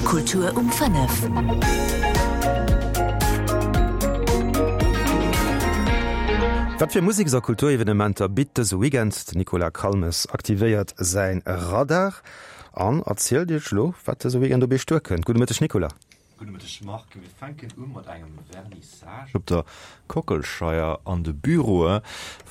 Kultur um 5. Wat fir Museks a Kulturevenementer bitt dëse Weekend? Den Nicolas Calmes aktivéiert säin Radar an erzielt iech elo, wat dëse Weekend op iech duerkënnt. Gudde Mëtteg Nicolas. Gudde Mëtteg Marc. Mir fänken u mat engem Vernissage op der Kockelscheier an de Büroe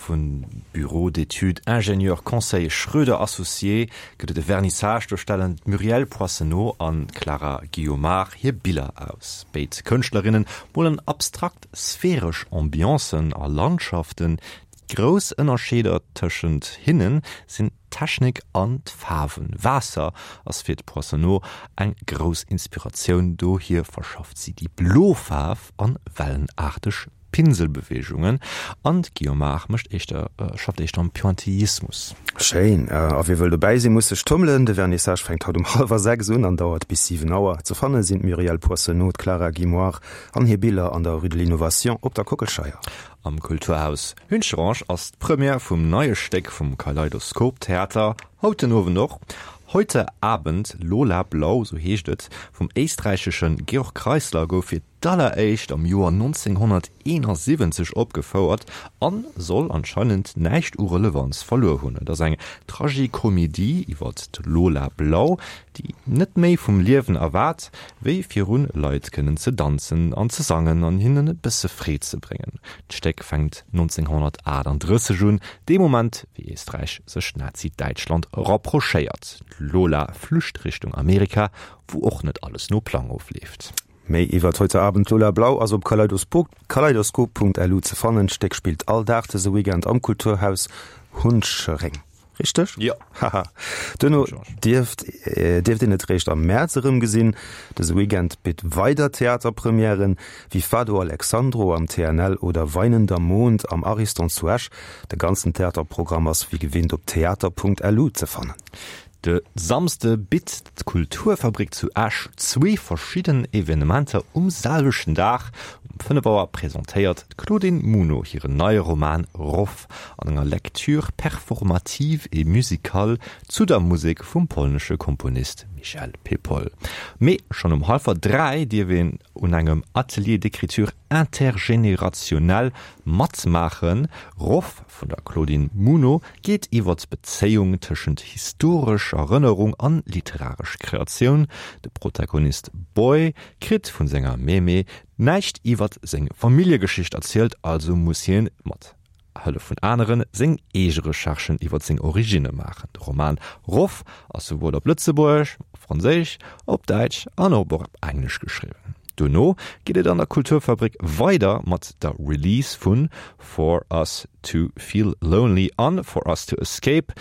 vun Bureau d'études Ingénieurs Conseil Schroeder Associés gëtt et e Vernissage. Do stellen d'Muriel Poissenot an d'Clara Guyomard hir Biller aus. Béid Kënschtlerinne molen abstrakt sphäresch Ambiancen a Landschaften. Déi grouss Ënnerscheeder tëschent hinne sinn d'Technik an d'Faarwen. Waasser ass fir d'Poissonneau eng grouss Inspiratioun, dohier verschafft si déi blo Faarf an wellenaarteg Pinselbeweegungen an d'Guiomar mécht éischter schafft éischter am Pointillismus. Schéin! A wie wëll dobäi sinn, muss sech tummelen. De Vernissage fänkt haut um hallwer 6 un an dauert bis 7 Auer. Ze fanne sinn d'Muriel Poissonneau, d'Clara Guimoire an hir Biller an der Rue de l'Innovation op der Kockelscheier. Am Kulturhaus Hüncherange ass d'Première vum neie Stéck vum Kaleidoskop Theater haut den Owend och. Heute Abend Lola Blau, sou heescht et, vum éisträichesche Georg Kreisler gouf fir d'alleréischt am Joer 1971 opgefouert an soll anscheinend näischt u Relevanz verluer hunn. Et ass eng Tragikomedie iwwert d'Lola Blau, déi net méi vum Liewen erwaart, wéi virun Leit kënnen ze danzen an ze sangen an hinnen e bësse Freed ze bréngen. D'Stéck fänkt 1938 un, dee Moment, wéi Éisträich sech Nazi-Däitschland rapprochéiert. D'Lola flücht Richtung Amerika, wou och net alles no Plang ofleeft. Méi iwwert Heute Abend Lola Blau ass op kaleidoskop.lu ze fannen. D'Stéck spillt all Dag dëse Weekend am Kulturhaus Hunchereng. Richteg? Jo. Haha. Duerno dierft dierft een et réischt am Mäerz erëmgesinn. Dëse Weekend bitt weider Theaterpremièren, wéi Fado Alexandro am TNL oder Weinender Mond am Ariston zu Esch. De ganzen Theaterprogramm ass wéi gewinnt op theater.lu ze fannen. De Samsde bitt d'Kulturfabrik zu Esch zwee verschidden Evenementer um selwechten Dag. Um 5 Auer presentéiert d'Claudine Muno hiren neie Roman Roff an enger Lecture performative et musicale zu der Musek vum polnesche Komponist Michel Pepol. Mee schonn um hallwer 3 dierf een un engem Atelier d'écriture intergénérationnelle matmaachen. Roff vun der Claudine Muno geet iwwer d'Bezéiung tëschent historesch Erënnerung an literaresch Kreatioun. De Protagonist Boy kritt vun senger Mémé näischt iwwer seng Familljegeschicht erzielt, also muss hien mat Hëllef vun aneren seng eege Recherchen iwwer seng Originne maachen. De Roman Roff ass souwuel op Lëtzebuergesch, op Franséisch, op Däitsch an och op Englesch geschriwwen. Dono geet et an der Kulturfabrik weider mat der Release vun For Us To Feel Lonely an For Us To Escape,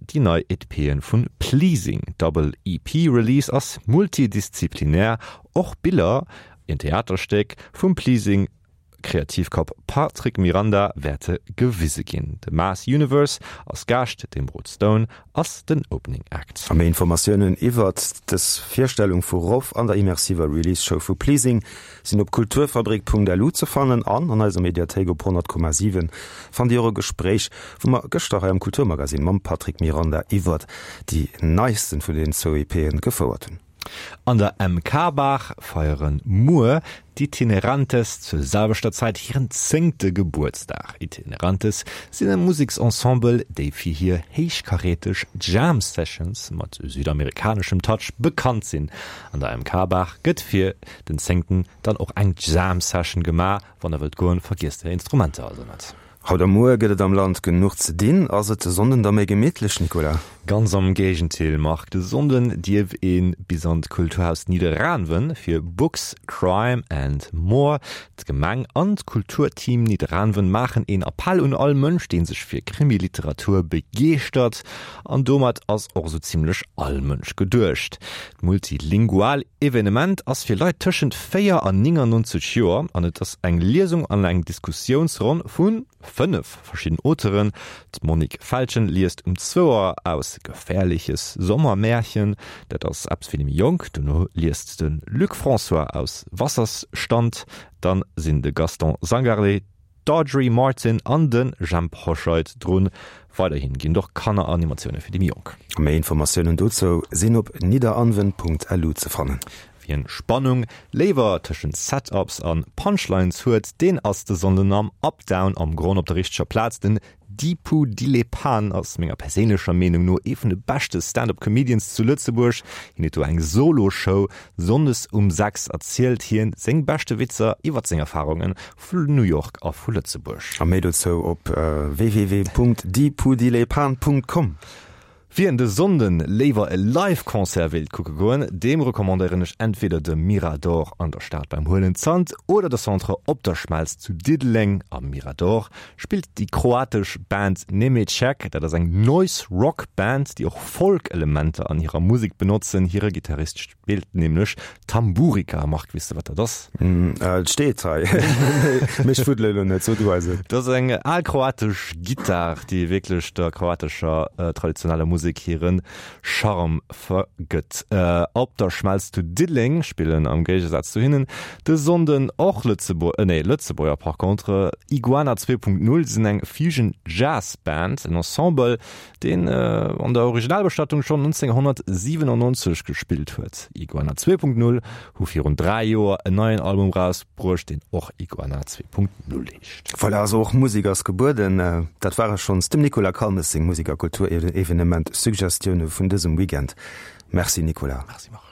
déi nei EP'en vun Pleasing. D'Double EP Release ass multidisziplinär, och Biller, en Theaterstéck vum Pleasing Kreativkapp Patrick Miranda wäerte gewise ginn. De Mass Universe ass Gaascht, de Rod Stone ass den Opening Act. A méi Informatiounen iwwert dës Virstellung vu Roff an der immersiver Release Show vu Pleasing sinn op kulturfabrik.lu ze fannen an an eiser Mediathéik op 100,7 fannt Dir och e Gespréich, wou mer gëschter hei am Kulturmagazine mam Patrick Miranda iwwert déi neisten vun den zwou EP'en gefouert hunn. An der MK-Bar feiere muer d'Itinerantes zur selwechter Zäit hiren zéngte Gebuertsdag. Itinerantes sinn e Museksensemble, déi fir hir héichkaräteg Jam Sessions mat südamerikaneschem Touch bekannt sinn. An der MK-Bar gëtt fir den zéngten dann och eng Jam Session gemaach. Wann der wëllt goen, vergiesst är Instrumenter also net. Haut a muer gëtt et am Land genuch ze dinn. Ass et de Sonnden da méi gemittlech, Nicolas? Ganz am Géigentil, Marc. De Sonnden dierf ee bis an d'Kulturhaus Nidderaanwen fir Books, Crime and More. D'Gemeng an d'Kulturteam Nidderaanwen maachen een Appell un all Mënsch, dee sech fir Krimiliteratur begeeschtert. An domat ass och esou zimmlech all Mënsch geduecht. D'multilingual Evenement ass fir Leit tëschent 4 an 99 Joer an et ass eng Liesung an eng Diskussiounsronn vu 5 verschidden Auteuren. D'Monique Feltgen liest um zwou Auer aus Gefährliches Sommermärchen, dat ass eppes fir déi méi Jonk. Dono liest de Luc François aus Wasserstand. Dann sinn de Gaston Zangarlé. d'Audrey Martin an de Jemp Hoscheit drun. Weiderhin ginn et och Kanneranimatioune fir déi méi Jonk. Méi Informatiounen dozou sinn op nidderaanwen.lu ze fannen. Wien Spannung léiwer tëschent Setups an Punchlines huet, deen ass de Sonnden am Up Down am Gronn op der richteger Plaz. Den Dipu Dilepan ass menger perséinlecher Meenung no ee vun de beschte Stand-up Comedians zu Lëtzebuerg. Hien huet do eng Solo-Show. Sonndes um 6 erzielt hien seng beschte Witzer iwwert seng Erfarunge vu New York a vu Lëtzebuerg. A méi dozou op www.dipudilepan.com. Wien de Sonnden léiwer e Live-Concert wéilt kucke goen, deem recommandéieren ech entweder de Mirador an der Stad beim Huelen Zant oder de Centre Opderschmelz zu Diddeleng. Am Mirador spillt déi kroatesch Band Nemecek. Dat ass eng Noise Rock Band, déi och Folk-Elementer an hirer Musek benotzen. Hire Gittarist Spillt nämlech Tamburica. Marc, weess de wat dat ass? Et steet hei, mee ech fuddele elo net, so du eis et. Dat ass eng al kroatesch Gittar, déi wierklech der kroatescher traditioneller Musek hire Charme vergëtt. Op der Schmelz zu Diddeleng spillen am Géigesaz zu hinnen de Sonnden och Lëtzebuer, nee Lëtzebuerger par contre, Iguana 2.0 sinn eng Fusion Jazz Band, en Ensemble, deen an der Originalbestattung schonn 1997 gespillt huet. Iguana 2.0 hu virun 3 Joer en neien Album rausbruecht, deen och Iguana 2.0 heescht. Voilà, also och Musek ass gebueden. Dat ware schonns dem Nicolas Calmes seng Musek a Kulturevenement-Suggestioune vun dësem Weekend. Merci Nicolas. Merci Marc.